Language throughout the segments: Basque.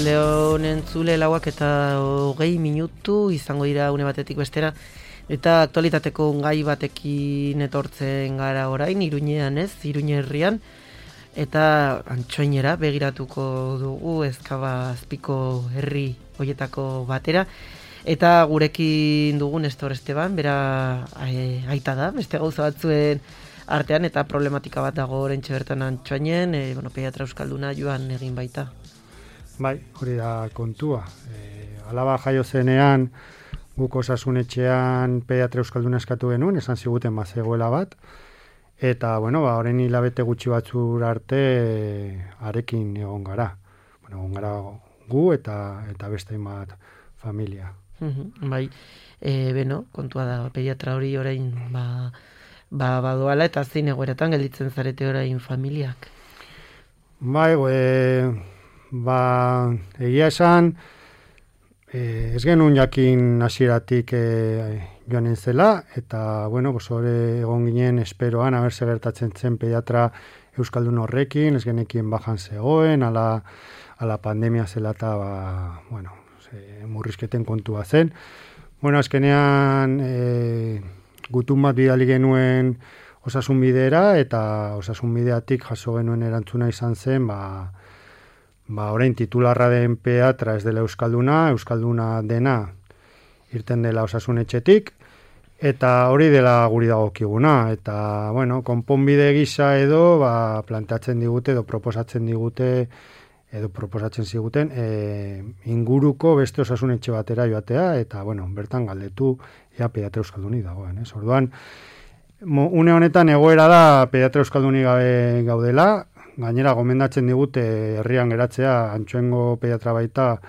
Arratsaldeon entzule 4:20 izango dira une batetik bestera. Eta aktualitateko gai batekin etortzen gara orain, Iruñean Iruñe herrian. Eta Antsoainera begiratuko dugu, Ezkaba azpiko herri hoietako batera. Eta gurekin dugu Nestor Esteban, bera aita da, beste gauza batzuen artean, eta problematika bat dago orentxe bertan Antsoainen, pediatra euskalduna joan egin baita. Bai, hori da kontua. Alaba jaio zenean, guk osasunetxean pediatra euskalduna eskatu genuen, esan ziguten zegoela bat, eta, horren hilabete gutxi batzur arte arekin egon gara. Egon gara gu eta beste bat familia. Bai, kontua da, pediatra hori orain badoala eta zein egoeratan gelditzen zarete orain familiak? Bai, egia esan, ez genuen jakin hasieratik joanen zela, eta, hori egon ginen esperoan, haber gertatzen zen pediatra euskaldun horrekin, ez genekin bajan zegoen, ala pandemia zela eta, murrizketen kontua zen. Azkenean, gutun bat bidali genuen osasunbidera, eta osasunbideatik jaso genuen erantzuna izan zen, orain titularra den pediatra ez dela euskalduna dena irten dela osasunetxetik, eta hori dela guri dagokiguna, eta, konponbide gisa edo, planteatzen digute edo proposatzen ziguten inguruko beste osasunetxe batera joatea, eta, bertan galdetu ea pediatra euskalduni dagoen. Orduan, une honetan egoera da pediatra euskalduni gabe gaudela, gainera gomendatzen digute herrian geratzea Antsoaingo pediatra baita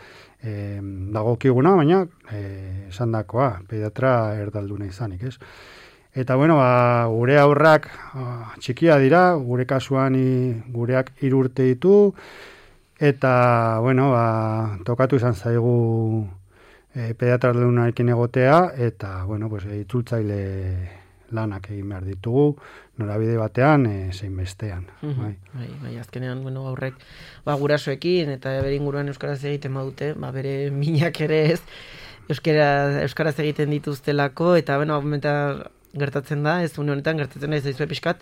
dagokiguna, baina esandakoa pediatra erdalduna izanik, ez? Eta, gure aurrak txikia dira, gure kasuan gureak 3 urte ditu, eta, tokatu izan zaigu pediatra erdalunarekin egotea, eta, itzultzaile lanak egin behar ditugu, norabide batean, zein bestean. Bai, azkenean, aurrek, gurasoekin, eta bere inguruan euskaraz egiten badute, bere minak ere ez, euskaraz egiten dituztelako, eta, gertatzen da, ez une honetan, gertatzen da ez daizue pixkat,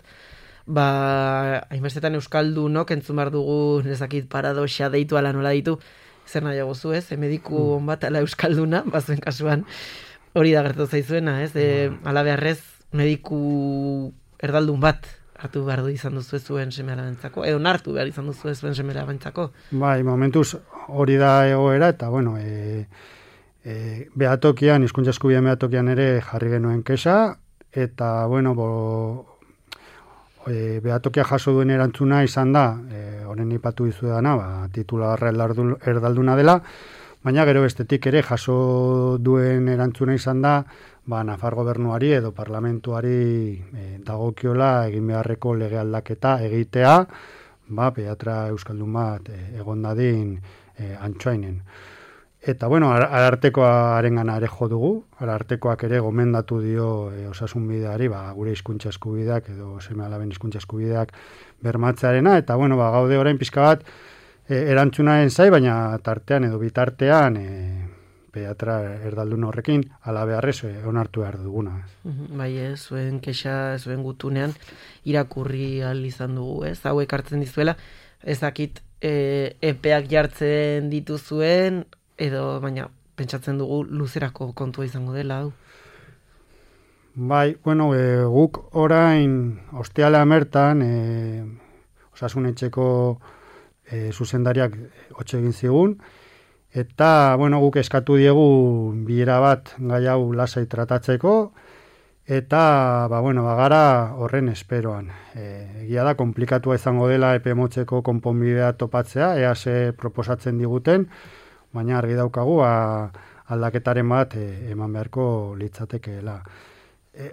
hainbestetan euskaldunok entzun behar dugu, nezakit paradoxa deitu ala nola ditu, zer nahiago zu, ez, mediku bat ala euskalduna, bazuen kasuan, hori da gertatu zaizuena, ez, ala beharrez, mediku erdaldun bat hartu behar du izan duzu zuen seme-alabentzako, edo nartu behar izan duzu zuen seme-alabentzako. Bai, momentuz hori da egoera, eta, behatokian, hizkuntza eskubideen behatokian ere jarri genuen kexa, eta, behatokia jaso duen erantzuna izan da, honen ipatu dizu dana, titularra erdalduna dela, baina gero bestetik ere jaso duen erantzuna izan da, Nafar gobernuari edo parlamentuari dagokiola egin beharreko lege aldaketa egitea, pediatra euskaldun bat egon dadin Antsoainen. Eta, arartekoaren gana ere jo dugu, arartekoak ere gomendatu dio osasunbideari, gure hizkuntza eskubideak edo seme-alaben hizkuntza eskubideak bermatzearena, eta, gaude orain pixka bat erantzunaren zai, baina tartean edo bitartean pediatra erdaldun horrekin ala beharrez onartu behar duguna. Bai, zuen kexa, zuen gutunean irakurri ahal izan dugu, ez? Hauek hartzen dizuela, ezakit epeak jartzen dituzuen, edo, baina, pentsatzen dugu luzerako kontua izango dela, hau? Bai, guk orain ostiala mertan osasunetxeko zuzendariak hotxe egin zigun, eta, guk eskatu diegu bilera bat gai hau lasai tratatzeko, eta, bagara horren esperoan. Egia da, komplikatua izango dela epe motzeko konponbidea topatzea, ze proposatzen diguten, baina argi daukagu aldaketaren bat eman beharko litzatekeela.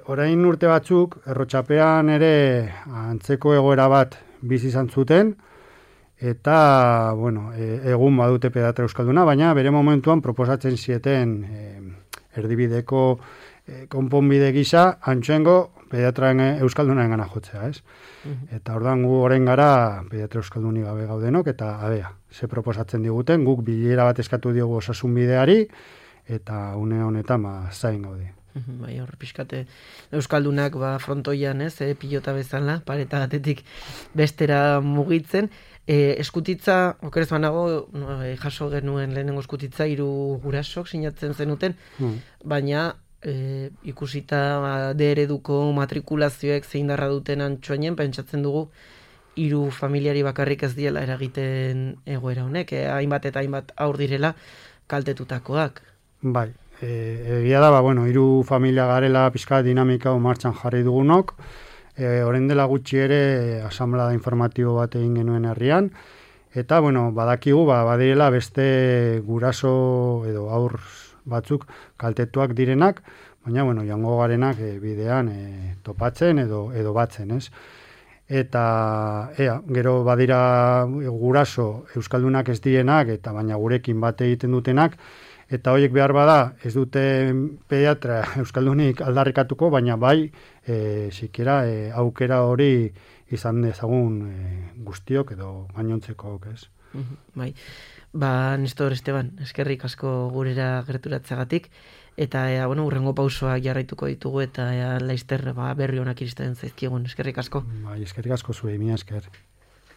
Orain urte batzuk, Errotxapean ere antzeko egoera bat bizi izan zuten, eta, egun badute pediatra euskalduna, baina bere momentuan proposatzen zieten erdibideko konponbide gisa Antsoaingo pediatraren euskaldunaren gana jotzea, ez? Eta ordan gu orain gara pediatra euskalduni gabe gaudenok, eta abea, ze proposatzen diguten, guk bilera bat eskatu diogu osasun bideari, eta une honetan zain gaude. Bai, hor pixkate euskaldunak frontoian, ez, pilota bezala, pareta batetik bestera mugitzen. Eskutitza, okerez banago, jaso genuen lehenengo eskutitza, 3 gurasok sinatzen zenuten, baina ikusita D-ereduko matrikulazioek zein darra duten Antsoainen, pentsatzen dugu 3 familiari bakarrik ez diela eragiten egoera honek, hainbat eta hainbat aur direla kaltetutakoak. Bai, egia da, 3 familia garela pixka dinamika martxan jarri dugunok, orain dela gutxi ere asamblea informatibo bat egin genuen herrian, eta badakigu badirela beste guraso edo aur batzuk kaltetuak direnak, baina joango garenak bidean topatzen edo batzen, ez? Eta gero badira guraso euskaldunak ez direnak, eta baina gurekin bat egiten dutenak, eta horiek behar bada ez dute pediatra euskaldunik aldarrikatuko, baina bai sikiera aukera hori izan dezagun guztiok edo gainontzekok, ez? Bai. Nestor Esteban, eskerrik asko gurera gerturatzagatik, eta urrengo pausoak jarraituko ditugu, eta laizter berri honak iristen zaizkigun, eskerrik asko. Bai, eskerrik asko zuei, mila esker.